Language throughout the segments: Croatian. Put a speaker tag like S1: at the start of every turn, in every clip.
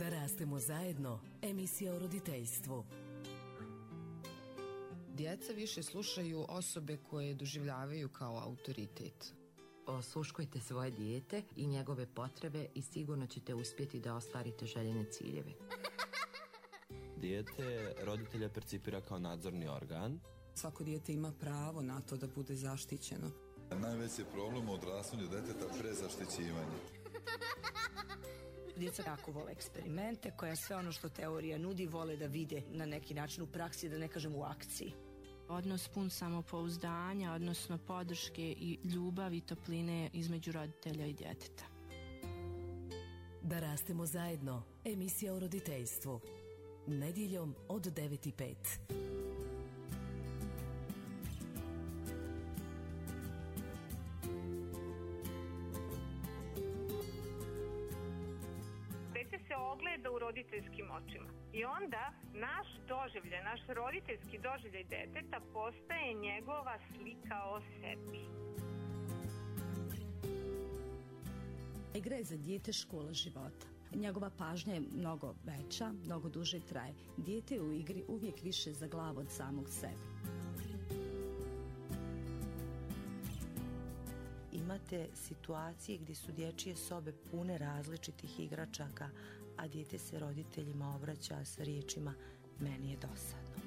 S1: Da rastemo zajedno, emisija o roditeljstvu.
S2: Djeca više slušaju osobe koje doživljavaju kao autoritet.
S3: Osluškujte svoje dijete i njegove potrebe i sigurno ćete uspjeti da ostvarite željene ciljeve.
S4: Dijete roditelja percipira kao nadzorni organ.
S5: Svako dijete ima pravo na to da bude zaštićeno.
S6: Najveći je problem u odrastanju djeteta prezaštićivanje.
S7: Djeca jako vole eksperimente, koja sve ono što teorija nudi vole da vide na neki način u praksi, da ne kažem u akciji.
S8: Odnos pun samopouzdanja, odnosno podrške i ljubavi i topline između roditelja i djeteta.
S1: Da rastemo zajedno, emisija o roditeljstvu. Nedjeljom od 9:05.
S9: Se ogleda u roditeljskim očima i onda naš doživljaj, naš roditeljski doživljaj deteta postaje njegova slika o sebi.
S10: Igra je za dijete škola života. Njegova pažnja je mnogo veća, mnogo duže traje. Dijete je u igri uvijek više za glavu od samog sebe.
S11: Imate situacije gdje su dječje sobe pune različitih igračaka, a dijete se roditeljima obraća sa riječima meni je dosadno.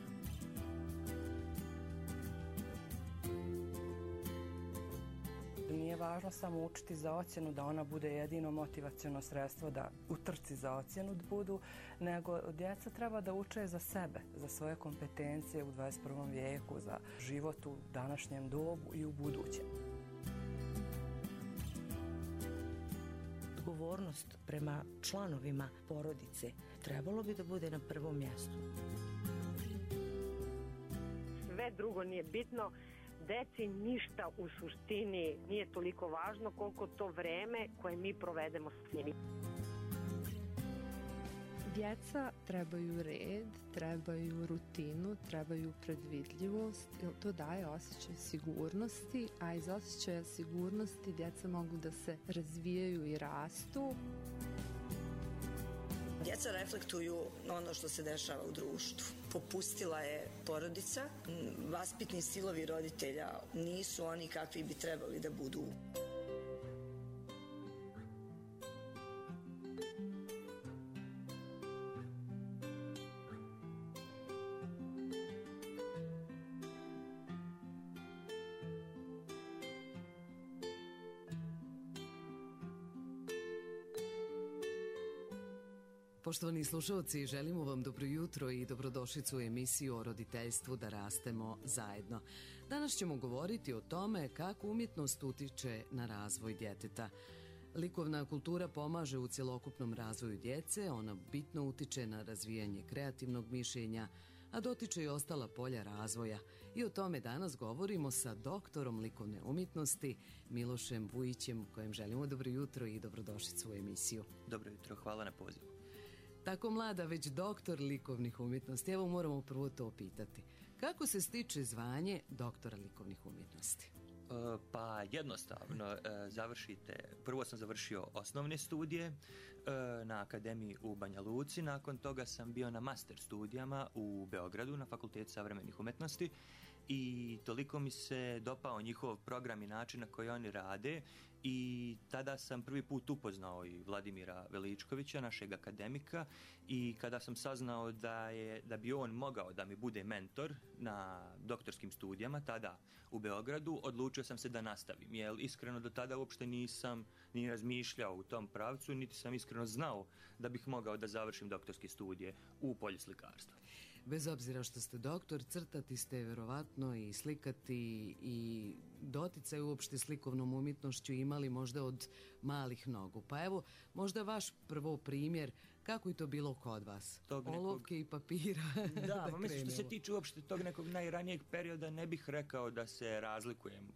S12: Nije važno samo učiti za ocjenu, da ona bude jedino motivaciono sredstvo da u trci za ocjenu budu, nego djeca treba da uče za sebe, za svoje kompetencije u 21. vijeku, za život u današnjem dobu i u budućem.
S11: Odgovornost prema članovima porodice trebalo bi da bude na prvom mjestu.
S13: Sve drugo nije bitno, deci ništa u suštini nije toliko važno koliko to vreme koje mi provedemo s njimi.
S14: Djeca trebaju red, trebaju rutinu, trebaju predvidljivost, jer to daje osjećaj sigurnosti, a iz osjećaja sigurnosti djeca mogu da se razvijaju i rastu.
S7: Djeca reflektuju ono što se dešava u društvu. Popustila je porodica, vaspitni stilovi roditelja nisu oni kakvi bi trebali da budu.
S1: Poštovani slušalci, želimo vam dobro jutro i dobrodošlicu u emisiju o roditeljstvu Da rastemo zajedno. Danas ćemo govoriti o tome kako umjetnost utiče na razvoj djeteta. Likovna kultura pomaže u cjelokupnom razvoju djece, ona bitno utiče na razvijanje kreativnog mišljenja, a dotiče i ostala polja razvoja. I o tome danas govorimo sa doktorom likovne umjetnosti Milošem Vujićem, kojem želimo dobro jutro i dobrodošlicu u emisiju.
S15: Dobro jutro, hvala na pozivu.
S1: Tako mlada, već doktor likovnih umjetnosti. Evo moramo prvo to pitati. Kako se stiče zvanje doktora likovnih umjetnosti?
S15: Pa jednostavno, prvo sam završio osnovne studije na akademiji u Banja Luci, nakon toga sam bio na master studijama u Beogradu na Fakultetu savremenih umjetnosti i toliko mi se dopao njihov program i način na koji oni rade i tada sam prvi put upoznao i Vladimira Veličkovića, našeg akademika, i kada sam saznao da bi on mogao da mi bude mentor na doktorskim studijama tada u Beogradu, odlučio sam se da nastavim, jer iskreno do tada uopšte nisam ni razmišljao u tom pravcu, niti sam iskreno znao da bih mogao da završim doktorske studije u polju slikarstva.
S1: Bez obzira što ste doktor, crtati ste vjerovatno i slikati i doticaj uopšte s likovnom umjetnošću imali možda od malih nogu. Pa evo, možda vaš prvo primjer, kako je to bilo kod vas? Olovke i papira.
S15: Da, mislim, što se tiče uopšte tog nekog najranijeg perioda, ne bih rekao da se razlikujem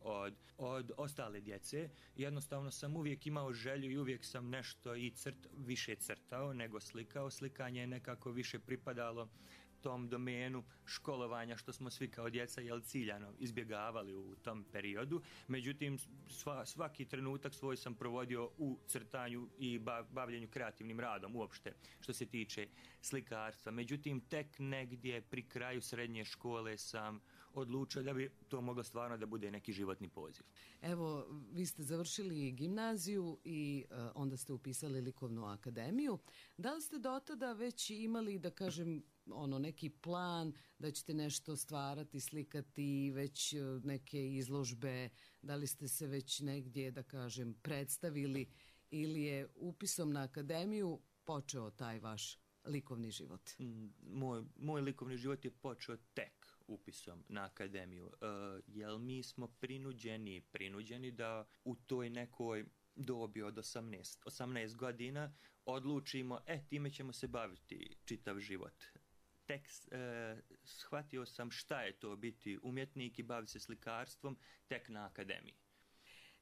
S15: od ostale djece. Jednostavno sam uvijek imao želju i uvijek sam nešto i više crtao nego slikao. Slikanje je nekako više pripadalo tom domenu školovanja što smo svi kao djeca ciljano izbjegavali u tom periodu. Međutim, svaki trenutak svoj sam provodio u crtanju i bavljenju kreativnim radom uopšte što se tiče slikarstva. Međutim, tek negdje pri kraju srednje škole sam odlučio da bi to moglo stvarno da bude neki životni poziv.
S1: Evo, vi ste završili gimnaziju i onda ste upisali likovnu akademiju. Da li ste do tada već imali, da kažem, neki plan da ćete nešto stvarati, slikati, već neke izložbe, da li ste se već negdje, da kažem, predstavili ili je upisom na akademiju počeo taj vaš likovni život?
S15: Moj likovni život je počeo tek upisom na akademiju, jer mi smo prinuđeni da u toj nekoj dobi od 18 godina odlučimo, time ćemo se baviti čitav život. Tek shvatio sam šta je to biti umjetnik i baviti se slikarstvom tek na akademiji.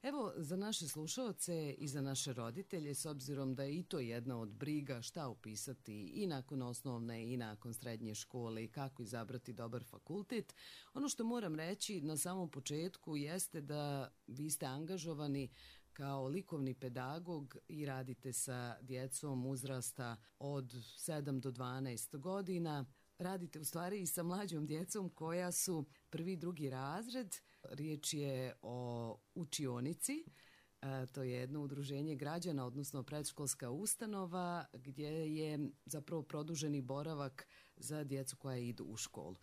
S1: Evo, za naše slušaoce i za naše roditelje, s obzirom da je i to jedna od briga šta upisati i nakon osnovne i nakon srednje škole i kako izabrati dobar fakultet, ono što moram reći na samom početku jeste da vi ste angažovani kao likovni pedagog i radite sa djecom uzrasta od 7 do 12 godina. Radite u stvari i sa mlađom djecom koja su 1. i 2. razred. Riječ je o učionici. To je jedno udruženje građana, odnosno predškolska ustanova gdje je zapravo produženi boravak za djecu koja idu u školu.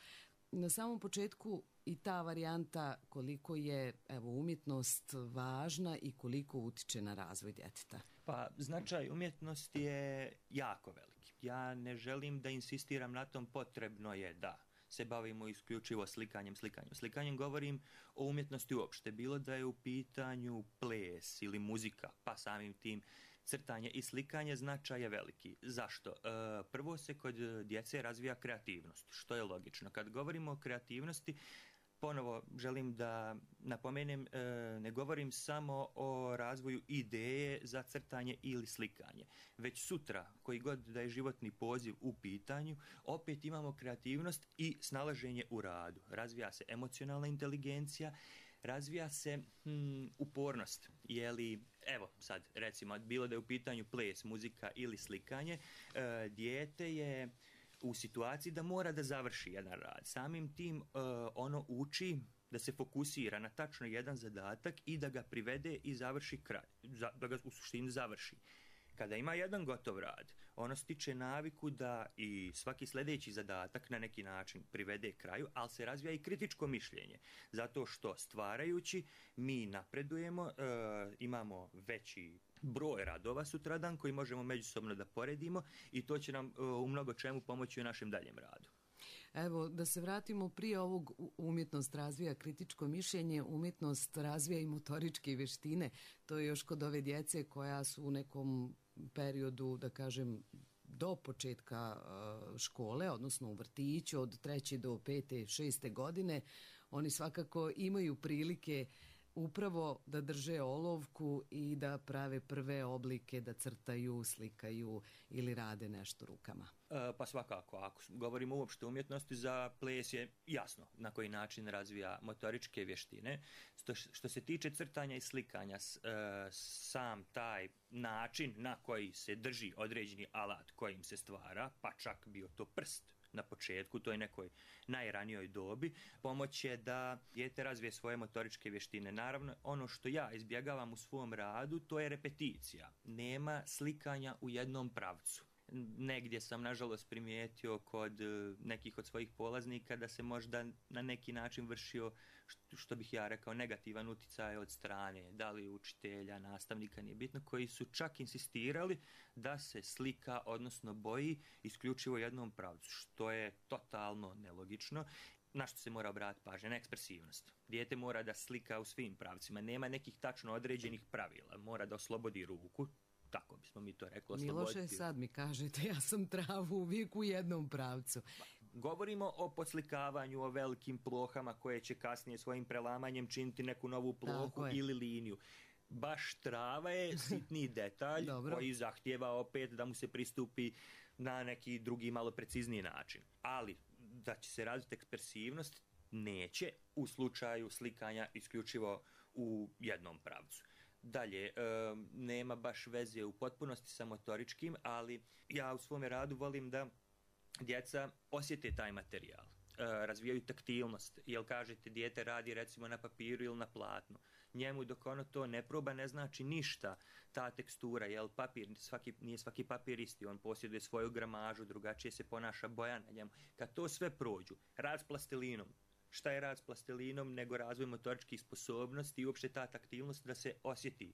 S1: Na samom početku i ta varijanta koliko je umjetnost važna i koliko utiče na razvoj djeteta.
S15: Pa značaj umjetnosti je jako veliki. Ja ne želim da insistiram na tom, potrebno je da se bavimo isključivo slikanjem. Govorim o umjetnosti uopšte, bilo da je u pitanju ples ili muzika, pa samim tim crtanje i slikanje, značaj je veliki. Zašto? Prvo se kod djece razvija kreativnost, što je logično. Kad govorimo o kreativnosti, ponovo želim da napomenem, ne govorim samo o razvoju ideje za crtanje ili slikanje. Već sutra, koji god da je životni poziv u pitanju, opet imamo kreativnost i snalaženje u radu. Razvija se emocionalna inteligencija, razvija se upornost. Evo sad, recimo, bilo da je u pitanju ples, muzika ili slikanje, dijete je u situaciji da mora da završi jedan rad. Samim tim ono uči da se fokusira na tačno jedan zadatak i da ga privede i završi kraj, da ga u suštini završi. Kada ima jedan gotov rad, ono stiče naviku da i svaki sljedeći zadatak na neki način privede kraju, ali se razvija i kritičko mišljenje. Zato što stvarajući mi napredujemo, imamo veći broj radova sutradan koji možemo međusobno da poredimo i to će nam u mnogo čemu pomoći u našem daljem radu.
S1: Evo, da se vratimo prije ovog, umjetnost razvija kritičko mišljenje, umjetnost razvija i motoričke vještine. To je još kod ove djece koja su u nekom periodu, da kažem, do početka škole, odnosno u vrtiću od 3. do 5. 6. godine. Oni svakako imaju prilike upravo da drže olovku i da prave prve oblike, da crtaju, slikaju ili rade nešto rukama.
S15: Pa svakako, ako govorimo uopšte o umjetnosti, za ples je jasno na koji način razvija motoričke vještine. Što se tiče crtanja i slikanja, sam taj način na koji se drži određeni alat kojim se stvara, pa čak bio to prst na početku, to je nekoj najranijoj dobi, pomoć je da dijete razvije svoje motoričke vještine. Naravno, ono što ja izbjegavam u svom radu, to je repeticija. Nema slikanja u jednom pravcu. Negdje sam, nažalost, primijetio kod nekih od svojih polaznika da se možda na neki način vršio, što bih ja rekao, negativan utjecaj od strane, da li učitelja, nastavnika, nije bitno, koji su čak insistirali da se slika, odnosno boji, isključivo jednom pravcu, što je totalno nelogično. Na što se mora obratiti pažnja? Na ekspresivnost. Dijete mora da slika u svim pravcima, nema nekih tačno određenih pravila, mora da oslobodi ruku, tako bismo mi to rekli.
S1: Miloše, sad mi kažete, ja sam travu uvijek u jednom pravcu.
S15: Govorimo o podslikavanju, o velikim plohama koje će kasnije svojim prelamanjem činiti neku novu plohu ili liniju. Baš trava je sitni detalj koji zahtijeva opet da mu se pristupi na neki drugi malo precizniji način. Ali da će se razviti ekspresivnost, neće u slučaju slikanja isključivo u jednom pravcu. Dalje, nema baš veze u potpunosti sa motoričkim, ali ja u svome radu volim da djeca osjete taj materijal, razvijaju taktilnost, jel kažete dijete radi recimo na papiru ili na platnu. Njemu dok ono to ne proba ne znači ništa ta tekstura, jel papir, nije svaki papir isti, on posjeduje svoju gramažu, drugačije se ponaša boja na njemu. Kad to sve prođu, rad s plastilinom, šta je rad s plastilinom nego razvoj motoričkih sposobnosti i uopšte ta taktilnost da se osjeti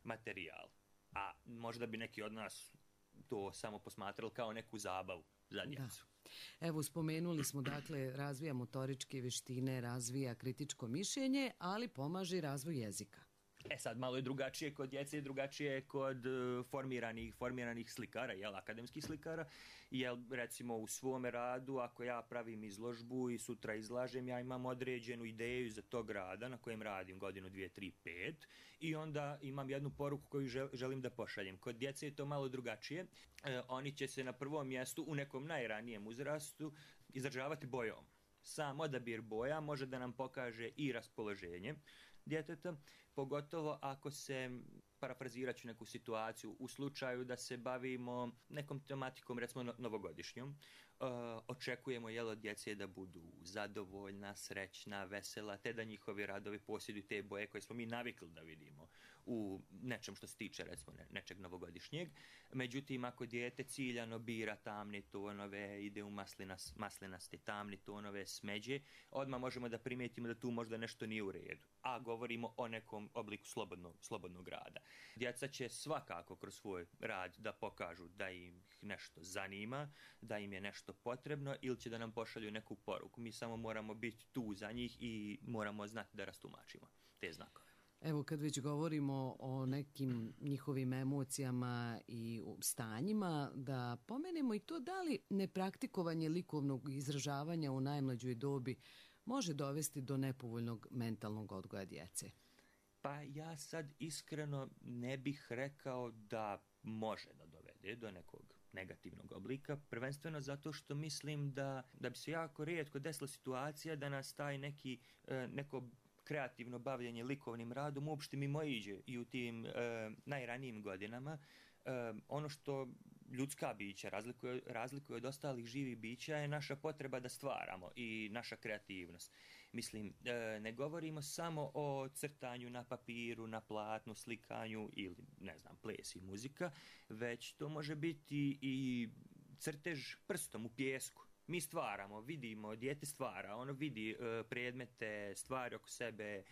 S15: materijal. A možda bi neki od nas to samo posmatrali kao neku zabavu za djecu.
S1: Evo, spomenuli smo, dakle, razvija motoričke vještine, razvija kritičko mišljenje, ali pomaže i razvoj jezika.
S15: Sad malo je drugačije kod djece, drugačije je kod formiranih slikara, akademskih slikara, jer recimo u svome radu, ako ja pravim izložbu i sutra izlažem, ja imam određenu ideju za tog rada na kojem radim godinu, 2, 3, 5 i onda imam jednu poruku koju želim da pošaljem. Kod djece je to malo drugačije. Oni će se na prvom mjestu u nekom najranijem uzrastu izražavati bojom. Sam odabir boja može da nam pokaže i raspoloženje djeteta, pogotovo ako se, parafrazirat ću neku situaciju, u slučaju da se bavimo nekom tematikom, recimo novogodišnjom, očekujemo od djece da budu zadovoljna, srećna, vesela, te da njihovi radovi posjeduju te boje koje smo mi navikli da vidimo u nečem što se tiče recimo nečeg novogodišnjeg. Međutim, ako dijete ciljano bira tamne tonove, ide u maslinaste tamne tonove, smeđe, odmah možemo da primijetimo da tu možda nešto nije u redu. A govorimo o nekom obliku slobodnog rada. Djeca će svakako kroz svoj rad da pokažu da im nešto zanima, da im je nešto potrebno ili će da nam pošalju neku poruku. Mi samo moramo biti tu za njih i moramo znati da rastumačimo te znakove.
S1: Evo, kad već govorimo o nekim njihovim emocijama i stanjima, da pomenemo i to da li nepraktikovanje likovnog izražavanja u najmlađoj dobi može dovesti do nepovoljnog mentalnog odgoja djece.
S15: Pa ja sad iskreno ne bih rekao da može da dovede do nekog negativnog oblika, prvenstveno zato što mislim da bi se jako rijetko desila situacija da nas taj neko kreativno bavljenje likovnim radom uopšte mimoiđe i u tim najranijim godinama. Ono što ljudska bića razlikuje od ostalih živih bića je naša potreba da stvaramo i naša kreativnost. Mislim, ne govorimo samo o crtanju na papiru, na platnu, slikanju ili, ples i muzika, već to može biti i crtež prstom u pijesku. Mi stvaramo, vidimo, dijete stvara, ono vidi predmete, stvari oko sebe,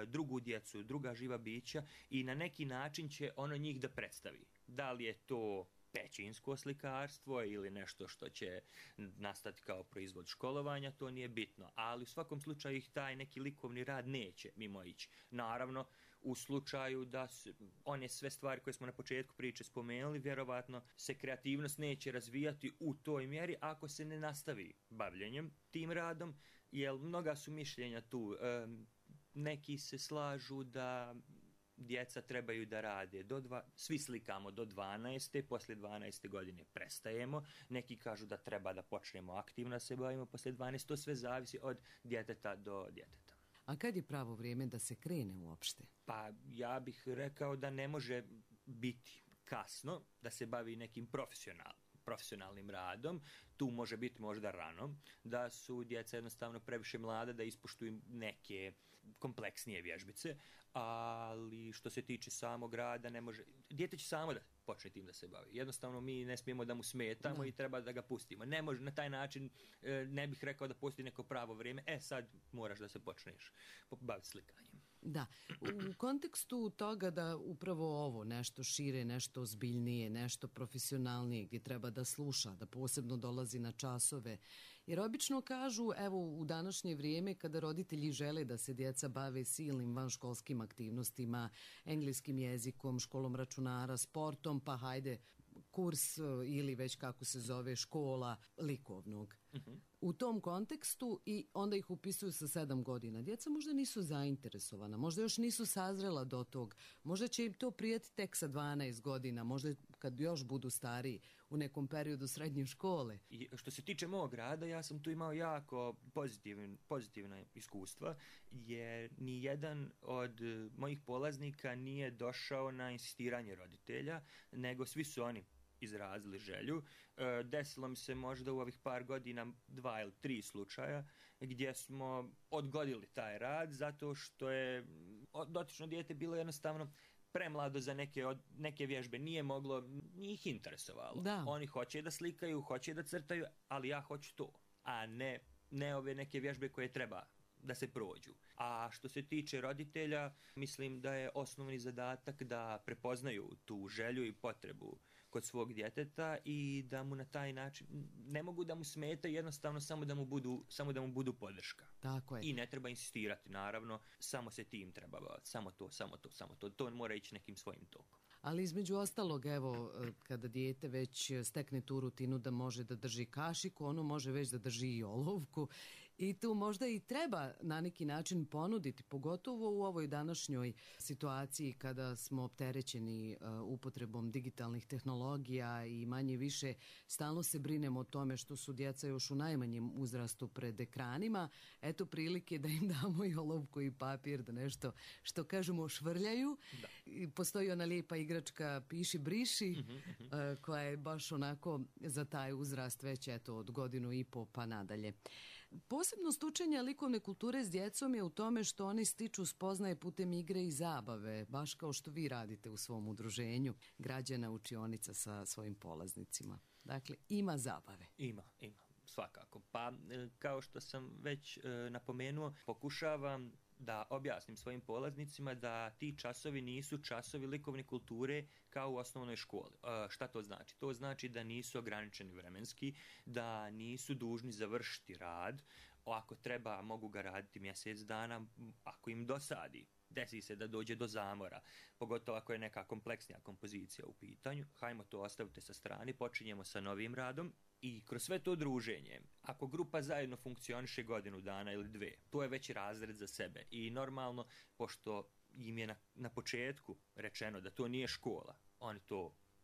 S15: drugu djecu, druga živa bića i na neki način će ono njih da predstavi. Da li je to pećinsko slikarstvo ili nešto što će nastati kao proizvod školovanja, to nije bitno. Ali u svakom slučaju ih taj neki likovni rad neće mimoići. Naravno, u slučaju da one sve stvari koje smo na početku priče spomenuli, vjerovatno se kreativnost neće razvijati u toj mjeri ako se ne nastavi bavljenjem tim radom, jer mnoga su mišljenja tu. Neki se slažu da djeca trebaju da rade, svi slikamo do 12. Poslije 12. godine prestajemo. Neki kažu da treba da počnemo aktivno se bavimo poslije 12. To sve zavisi od djeteta do djeteta.
S1: A kad je pravo vrijeme da se krene uopšte?
S15: Pa ja bih rekao da ne može biti kasno da se bavi nekim profesionalnim radom. Tu može biti možda rano, da su djeca jednostavno previše mlada da ispoštuju neke kompleksnije vježbice, ali što se tiče samog rada ne može. Dijete će samo da počne tim da se bavi. Jednostavno mi ne smijemo da mu smetamo i treba da ga pustimo. Ne može na taj način, ne bih rekao da postoji neko pravo vrijeme. Sad moraš da se počneš baviti slikanjem.
S1: Da, u kontekstu toga da upravo ovo nešto šire, nešto ozbiljnije, nešto profesionalnije gdje treba da sluša, da posebno dolazi na časove. Jer obično kažu, evo u današnje vrijeme kada roditelji žele da se djeca bave silnim vanškolskim aktivnostima, engleskim jezikom, školom računara, sportom, pa hajde kurs ili već kako se zove škola likovnog. u tom kontekstu i onda ih upisuju sa 7 godina. Djeca možda nisu zainteresovana, možda još nisu sazrela do tog, možda će im to prijeti tek sa 12 godina, možda kad još budu stariji u nekom periodu srednje škole.
S15: I što se tiče mog rada, ja sam tu imao jako pozitivna iskustva, jer ni jedan od mojih polaznika nije došao na insistiranje roditelja, nego svi su oni izrazili želju. Desilo mi se možda u ovih par godina 2 ili 3 slučaja gdje smo odgodili taj rad zato što je dotično dijete bilo jednostavno premlado za neke vježbe, nije ih interesovalo.
S1: Da.
S15: Oni hoće da slikaju, hoće da crtaju, ali ja hoću to, a ne ove neke vježbe koje treba da se prođu. A što se tiče roditelja, mislim da je osnovni zadatak da prepoznaju tu želju i potrebu kod svog djeteta i da mu na taj način, ne mogu da mu smetaju, jednostavno samo da mu budu podrška.
S1: Tako je.
S15: I ne treba insistirati, naravno, samo se tim treba baviti, samo to. To mora ići nekim svojim tokom.
S1: Ali između ostalog, evo, kada dijete već stekne tu rutinu da može da drži kašiku, ono može već da drži i olovku i tu možda i treba na neki način ponuditi, pogotovo u ovoj današnjoj situaciji kada smo opterećeni upotrebom digitalnih tehnologija i manje više stalno se brinemo o tome što su djeca još u najmanjem uzrastu pred ekranima. Eto prilike da im damo i olovku i papir, da nešto, što kažemo, švrljaju. Da. Postoji ona lijepa igračka Piši briši, koja je baš onako za taj uzrast već eto od 1.5 godina pa nadalje. Posebnost učenja likovne kulture s djecom je u tome što oni stiču spoznaje putem igre i zabave, baš kao što vi radite u svom udruženju Građana učionica sa svojim polaznicima. Dakle, ima zabave.
S15: Ima, svakako. Pa, kao što sam već napomenuo, pokušavam da objasnim svojim polaznicima da ti časovi nisu časovi likovne kulture kao u osnovnoj školi. Šta to znači? To znači da nisu ograničeni vremenski, da nisu dužni završiti rad. Ako treba, mogu ga raditi mjesec dana, ako im dosadi. Desi se da dođe do zamora, pogotovo ako je neka kompleksnija kompozicija u pitanju. Hajmo to ostavite sa strane, počinjemo sa novim radom. I kroz sve to druženje, ako grupa zajedno funkcioniše 1 dana ili 2, to je već razred za sebe. I normalno, pošto im je na početku rečeno da to nije škola, oni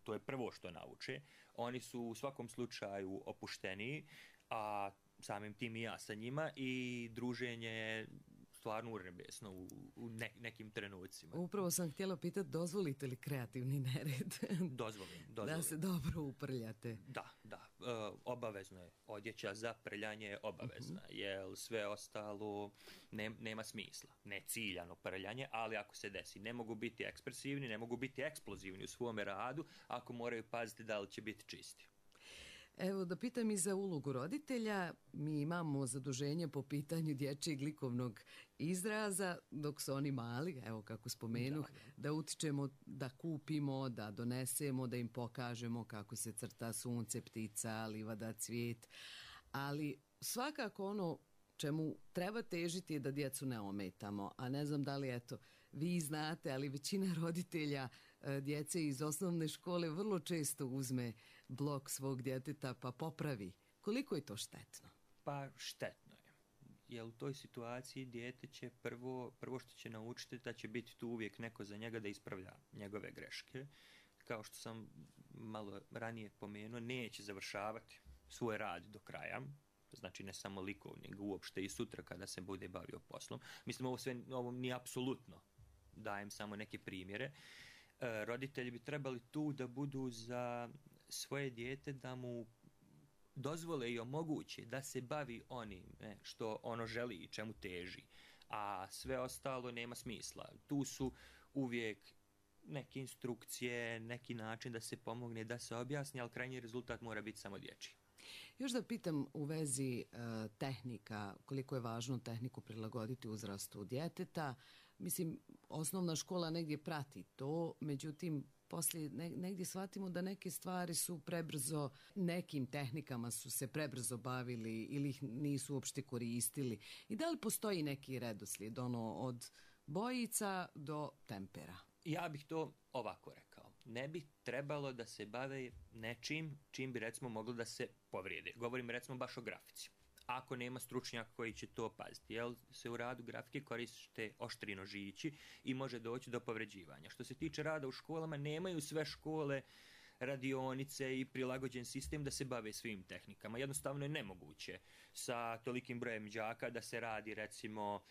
S15: to je prvo što nauče, oni su u svakom slučaju opušteniji, a samim tim i ja sa njima, i druženje je stvarno urebesno u nekim trenucima.
S1: Upravo sam htjela pitati, dozvolite li kreativni nered?
S15: Dozvolim.
S1: Da se dobro uprljate.
S15: Da. Obavezno je. Odjeća za prljanje je obavezna, jer sve ostalo nema smisla. Ne ciljano prljanje, ali ako se desi, ne mogu biti ekspresivni, ne mogu biti eksplozivni u svome radu, ako moraju paziti da li će biti čisti.
S1: Evo, da pitam i za ulogu roditelja. Mi imamo zaduženje po pitanju dječjeg likovnog izraza dok su oni mali, evo kako spomenuh, da utičemo, da kupimo, da donesemo, da im pokažemo kako se crta sunce, ptica, livada, cvijet. Ali svakako ono čemu treba težiti je da djecu ne ometamo. A ne znam da li, eto, vi znate, ali većina roditelja djece iz osnovne škole vrlo često uzme blok svog djeteta pa popravi. Koliko je to štetno?
S15: Pa štetno je. Jer u toj situaciji dijete će prvo što će naučiti da će biti tu uvijek neko za njega da ispravlja njegove greške. Kao što sam malo ranije pomenuo, neće završavati svoj rad do kraja. Znači ne samo likovni, nego uopšte i sutra kada se bude bavio poslom. Mislim, ovo nije apsolutno. Dajem samo neke primjere. Roditelji bi trebali tu da budu za svoje dijete, da mu dozvole i omoguće da se bavi onim što ono želi i čemu teži, a sve ostalo nema smisla. Tu su uvijek neke instrukcije, neki način da se pomogne, da se objasni, ali krajnji rezultat mora biti samo dječji.
S1: Još da pitam u vezi tehnika, koliko je važno tehniku prilagoditi uzrastu djeteta. Mislim, osnovna škola negdje prati to, međutim, poslije negdje shvatimo da neke stvari su prebrzo, nekim tehnikama su se prebrzo bavili ili ih nisu uopšte koristili. I da li postoji neki redoslijed, od bojica do tempera?
S15: Ja bih to ovako rekao. ne bi trebalo da se bave nečim čim bi recimo moglo da se povrijede. Govorim recimo baš o grafici. Ako nema stručnjaka koji će to paziti, jer se u radu grafike koriste oštri nožići i može doći do povređivanja. Što se tiče rada u školama, nemaju sve škole radionice i prilagođen sistem da se bave svim tehnikama. Jednostavno je nemoguće sa tolikim brojem đaka da se radi recimo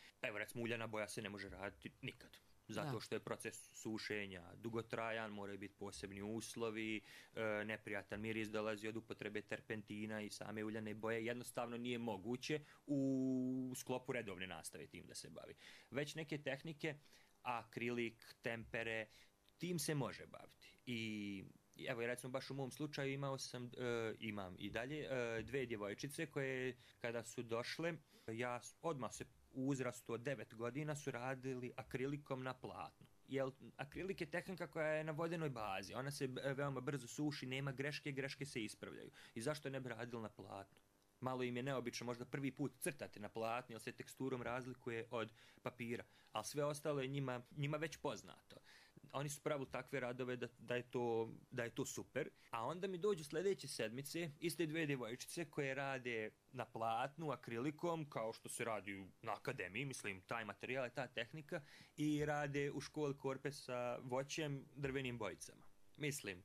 S15: uljana boja se ne može raditi nikad. Zato što je proces sušenja dugotrajan, moraju biti posebni uslovi, neprijatan miris dolazi od upotrebe terpentina i same uljane boje. Jednostavno nije moguće u sklopu redovne nastave tim da se bavi. Već neke tehnike, akrilik, tempere, tim se može baviti. I evo, recimo baš u mom slučaju imam i dalje 2 djevojčice koje kada su došle, ja odmah se u uzrastu od 9 godina su radili akrilikom na platnu. Jer akrilik je tehnika koja je na vodenoj bazi. Ona se veoma brzo suši, nema greške se ispravljaju. I zašto ne bi radili na platnu? Malo im je neobično možda prvi put crtati na platni, jer se teksturom razlikuje od papira. Ali sve ostalo je njima već poznato. Oni su pravili takve radove da je to super. A onda mi dođu sljedeće sedmice iste 2 djevojčice koje rade na platnu, akrilikom, kao što se radi na akademiji, mislim, taj materijal je ta tehnika, i rade u školi korpe sa voćem, drvenim bojicama. Mislim,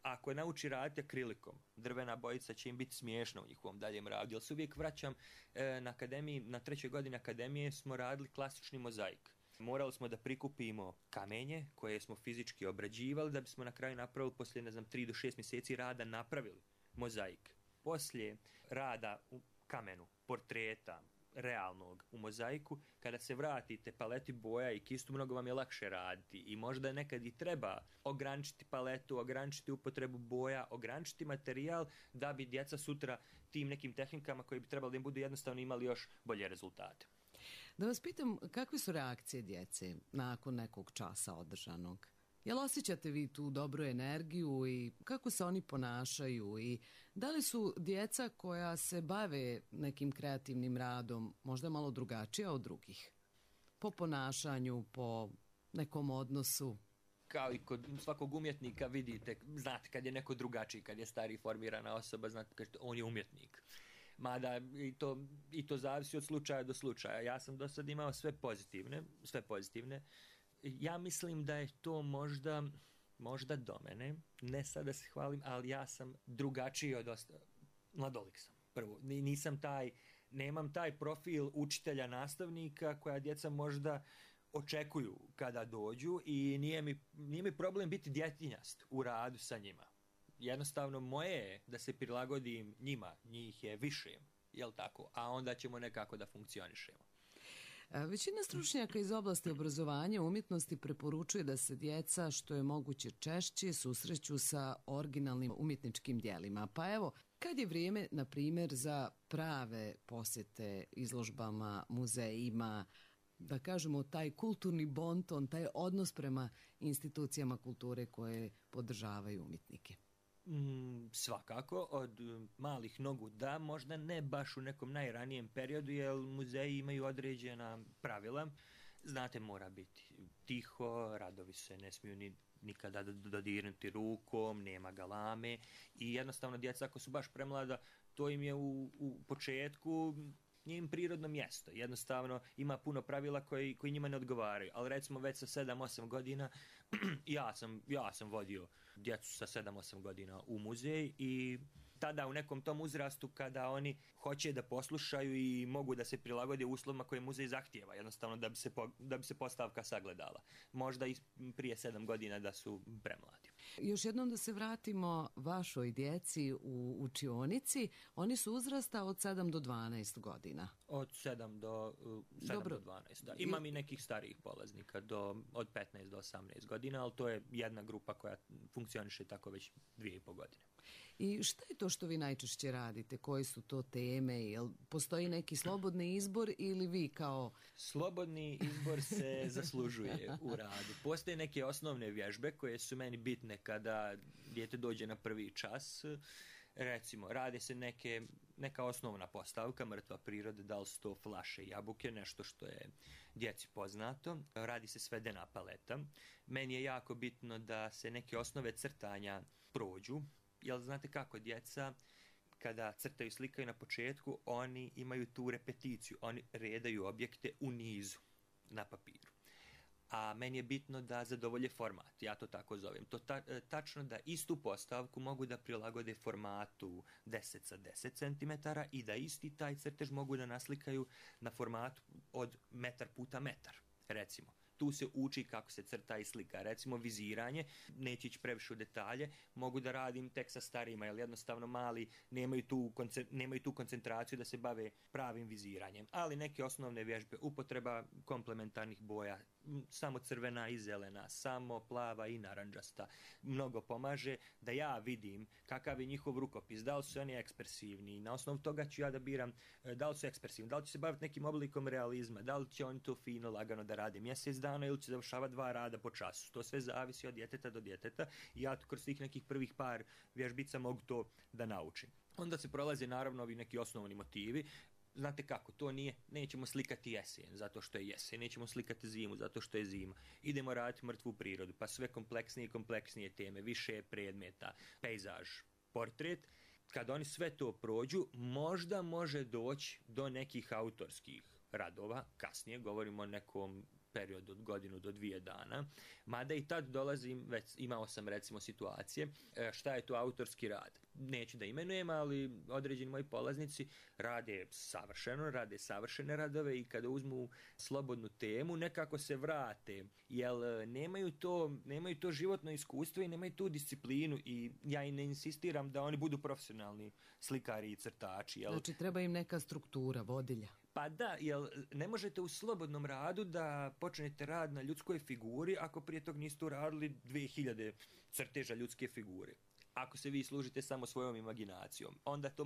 S15: ako nauči raditi akrilikom, drvena bojica će im biti smiješna u njihovom daljem radu. Jer se uvijek vraćam na akademiji, na 3. godini akademije smo radili klasični mozaik. Morali smo da prikupimo kamenje koje smo fizički obrađivali da bismo na kraju napravili, poslije 3 do 6 mjeseci rada, napravili mozaik. Poslije rada u kamenu, portreta, realnog u mozaiku, kada se vratite paleti boja i kistu, mnogo vam je lakše raditi i možda nekad i treba ograničiti paletu, ograničiti upotrebu boja, ograničiti materijal da bi djeca sutra tim nekim tehnikama koje bi trebali da im budu jednostavno imali još bolje rezultate.
S1: Da vas pitam, kakve su reakcije djece nakon nekog časa održanog? Jel osjećate vi tu dobru energiju i kako se oni ponašaju i da li su djeca koja se bave nekim kreativnim radom možda malo drugačija od drugih? Po ponašanju, po nekom odnosu?
S15: Kao i kod svakog umjetnika vidite, znate kad je neko drugačiji, kad je stariji formirana osoba, znate kad on je umjetnik. Mada i to zavisi od slučaja do slučaja. Ja sam do sad imao sve pozitivne. Ja mislim da je to možda do mene, ne sad da se hvalim, ali ja sam drugačiji od mladolik sam. Prvo, nemam taj profil učitelja, nastavnika koja djeca možda očekuju kada dođu i nije mi problem biti djetinjast u radu sa njima. Jednostavno moje je da se prilagodim njima, njih je više, jel tako, a onda ćemo nekako da funkcionišemo.
S1: Većina stručnjaka iz oblasti obrazovanja umjetnosti preporučuje da se djeca što je moguće češće susreću sa originalnim umjetničkim djelima. Pa evo, kad je vrijeme, na primjer, za prave posjete izložbama, muzejima, da kažemo taj kulturni bonton, taj odnos prema institucijama kulture koje podržavaju umjetnike?
S15: Svakako, od malih nogu da, možda ne baš u nekom najranijem periodu, jer muzeji imaju određena pravila. Znate, mora biti tiho, radovi se ne smiju nikada dodirnuti rukom, nema galame i jednostavno djeca ako su baš premlada, to im je u početku nije im prirodno mjesto. Jednostavno ima puno pravila koji njima ne odgovaraju. Ali recimo već sa 7-8 godina ja sam vodio djecu sa 7-8 godina u muzej i tada u nekom tom uzrastu kada oni hoće da poslušaju i mogu da se prilagode uslovima koje muzej zahtijeva, jednostavno da bi se postavka sagledala. Možda i prije 7 godina da su premladi.
S1: Još jednom da se vratimo vašoj djeci u učionici. Oni su uzrasta od 7 do 12 godina.
S15: Od 7 do 12, da. Imam i nekih starijih polaznika od 15 do 18 godina, ali to je jedna grupa koja funkcioniše tako već 2,5 godine.
S1: I šta je to što vi najčešće radite? Koje su to teme? Jel postoji neki slobodni izbor ili vi kao...
S15: Slobodni izbor se zaslužuje u radu. Postoje neke osnovne vježbe koje su meni bitne kada dijete dođe na prvi čas. Recimo, radi se neka osnovna postavka, mrtva priroda, da li su to flaše, jabuke, nešto što je djeci poznato. Radi se svedena paleta. Meni je jako bitno da se neke osnove crtanja prođu, jer znate kako, djeca kada crtaju, slikaju na početku, oni imaju tu repeticiju, oni redaju objekte u nizu na papiru. A meni je bitno da zadovolje format, ja to tako zovem. To tačno da istu postavku mogu da prilagode formatu 10 sa 10 cm i da isti taj crtež mogu da naslikaju na formatu od metar puta metar, recimo. Tu se uči kako se crta i slika. Recimo viziranje, neće ići previše u detalje, mogu da radim tek sa starijima, jer jednostavno mali nemaju tu koncentraciju da se bave pravim viziranjem. Ali neke osnovne vježbe, upotreba komplementarnih boja, samo crvena i zelena, samo plava i naranđasta, mnogo pomaže da ja vidim kakav je njihov rukopis, da li su oni ekspresivni. Na osnovu toga ću ja da biram da li su ekspresivni, da li će se baviti nekim oblikom realizma, da li će oni to fino, lagano da rade mjesec dana ili će završavati 2 rada po času. To sve zavisi od djeteta do djeteta i ja kroz tih nekih prvih par vježbica mogu to da naučim. Onda se prolaze naravno ovi neki osnovni motivi. Znate kako, to nije, nećemo slikati jesen zato što je jesen, nećemo slikati zimu zato što je zima. Idemo raditi mrtvu prirodu, pa sve kompleksnije i kompleksnije teme, više predmeta, pejzaž, portret. Kad oni sve to prođu, možda može doći do nekih autorskih radova, kasnije govorimo o nekom periodu od 1 do 2 dana, mada i tad dolazim, već imao sam recimo situacije, šta je to autorski rad. Neću da imenujem, ali određeni moji polaznici rade savršene radove i kada uzmu slobodnu temu, nekako se vrate, jer nemaju to životno iskustvo i nemaju tu disciplinu i ja i ne insistiram da oni budu profesionalni slikari i crtači.
S1: Znači treba im neka struktura, vodilja.
S15: Pa da, jer ne možete u slobodnom radu da počnete rad na ljudskoj figuri ako prije tog niste uradili 2000 crteža ljudske figure. Ako se vi služite samo svojom imaginacijom, onda to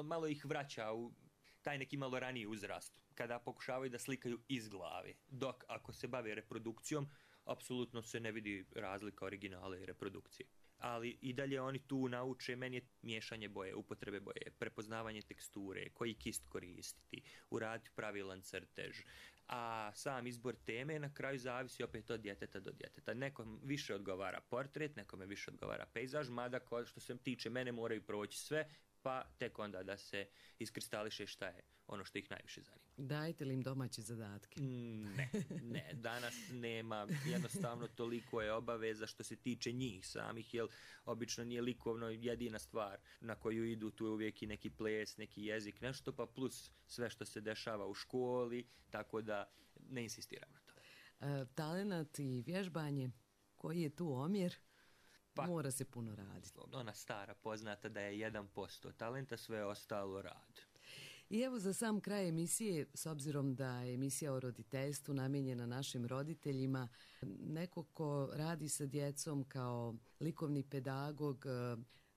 S15: malo ih vraća u taj neki malo raniji uzrast, kada pokušavaju da slikaju iz glave. Dok ako se bave reprodukcijom, apsolutno se ne vidi razlika originala i reprodukcije. Ali i dalje oni tu nauče, meni je miješanje boje, upotrebe boje, prepoznavanje teksture, koji kist koristiti, uraditi pravilan crtež. A sam izbor teme na kraju zavisi opet od djeteta do djeteta. Nekom više odgovara portret, nekome više odgovara pejzaž, mada što se tiče mene moraju proći sve, pa tek onda da se iskristališe šta je ono što ih najviše zanima.
S1: Dajete li im domaće zadatke?
S15: Ne, danas nema, jednostavno toliko je obaveza što se tiče njih samih, jer obično nije likovno jedina stvar na koju idu, tu je uvijek i neki ples, neki jezik, nešto, pa plus sve što se dešava u školi, tako da ne insistiram na to.
S1: Talenat i vježbanje, koji je tu omjer? Pa, mora se puno raditi.
S15: Ona stara poznata da je 1% talenta, sve ostalo rad.
S1: I evo za sam kraj emisije, s obzirom da je emisija o roditeljstvu namijenjena našim roditeljima, neko ko radi sa djecom kao likovni pedagog,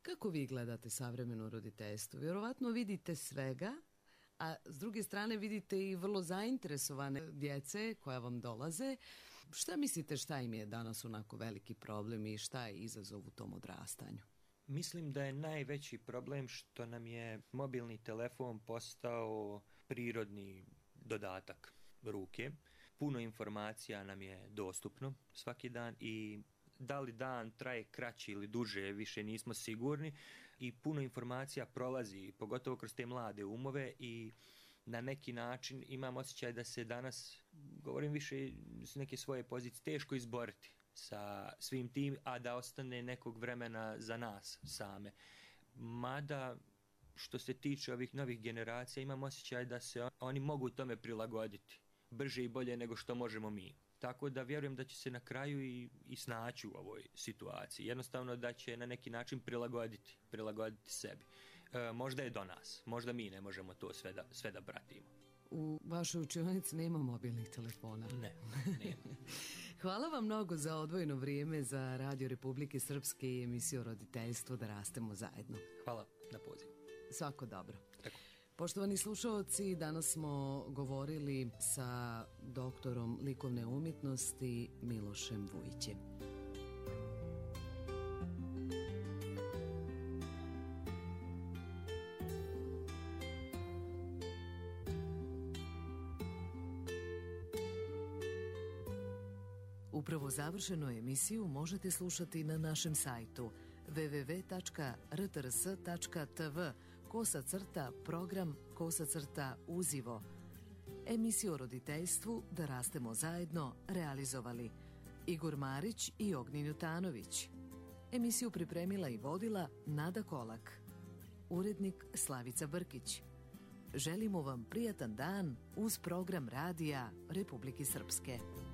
S1: kako vi gledate savremeno roditeljstvo? Vjerovatno vidite svega, a s druge strane vidite i vrlo zainteresovane djece koja vam dolaze. Šta mislite šta im je danas onako veliki problem i šta je izazov u tom odrastanju?
S15: Mislim da je najveći problem što nam je mobilni telefon postao prirodni dodatak ruke. Puno informacija nam je dostupno svaki dan i da li dan traje kraći ili duže, više nismo sigurni i puno informacija prolazi, pogotovo kroz te mlade umove i na neki način imam osjećaj da se danas, govorim više s neke svoje pozicije, teško izboriti sa svim tim, a da ostane nekog vremena za nas same. Mada, što se tiče ovih novih generacija, imam osjećaj da se oni mogu tome prilagoditi brže i bolje nego što možemo mi. Tako da vjerujem da će se na kraju i snaći u ovoj situaciji. Jednostavno da će na neki način prilagoditi sebi. Možda je do nas, možda mi ne možemo to sve da pratimo.
S1: U vašoj učionici nema mobilnih telefona?
S15: Ne, nema.
S1: Hvala vam mnogo za odvojeno vrijeme za Radio Republike Srpske i emisiju o roditeljstvu Da rastemo zajedno.
S15: Hvala na pozivu.
S1: Svako dobro.
S15: Tako.
S1: Poštovani slušalci, danas smo govorili sa doktorom likovne umjetnosti Milošem Vujićem. Upravo završenu emisiju možete slušati na našem sajtu www.rtrs.tv/program/uzivo. Emisiju o roditeljstvu Da rastemo zajedno realizovali Igor Marić i Ognjen Jutanović. Emisiju pripremila i vodila Nada Kolak. Urednik Slavica Brkić. Želimo vam prijatan dan uz program radija Republike Srpske.